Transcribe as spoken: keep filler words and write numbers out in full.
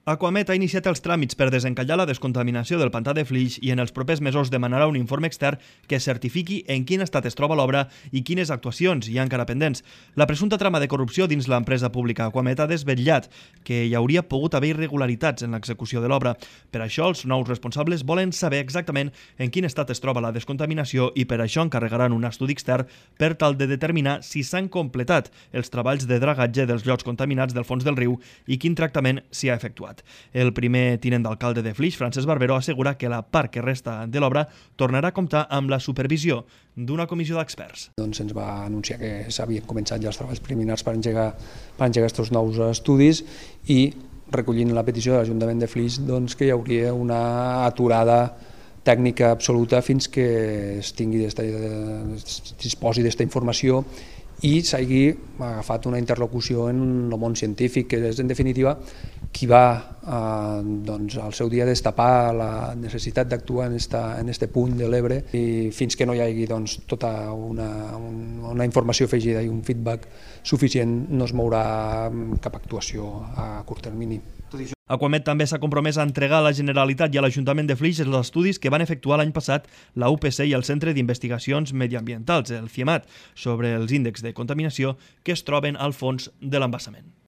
Aquamet ha iniciat els tràmits per desencallar la descontaminació del pantà de Flix i en els propers mesos demanarà un informe extern que certifiqui en quin estat es troba l'obra i quines actuacions hi ha encara pendents. La presumpta trama de corrupció dins l'empresa pública Aquamet ha desvetllat que hi hauria pogut haver irregularitats en l'execució de l'obra. Per això, els nous responsables volen saber exactament en quin estat es troba la descontaminació i per això encarregaran un estudi extern per tal de determinar si s'han completat els treballs de dragatge dels llocs contaminats del fons del riu i quin tractament s'hi ha efectuat. El primer tinent d'alcalde de Flix, Francesc Barberó, assegura que la part que resta de l'obra tornarà a comptar amb la supervisió d'una comissió d'experts. Doncs ens va anunciar que s'havien començat ja els treballs preliminars per engegar, per engegar aquests nous estudis i recollint la petició de l'Ajuntament de Flix doncs, que hi hauria una aturada tècnica absoluta fins que es tingui es disposi d'aquesta informació i s'hagi agafat una interlocució en el món científic, que és en definitiva qui va eh, doncs, al seu dia destapar la necessitat d'actuar en aquest punt de l'Ebre i fins que no hi hagi doncs, tota una, una informació afegida i un feedback suficient no es mourà cap actuació a curt termini. Aquamet també s'ha compromès a entregar a la Generalitat i a l'Ajuntament de Flix els estudis que van efectuar l'any passat la U P C i el Centre d'Investigacions Mediambientals, el CIEMAT, sobre els índexs de contaminació que es troben al fons de l'embassament.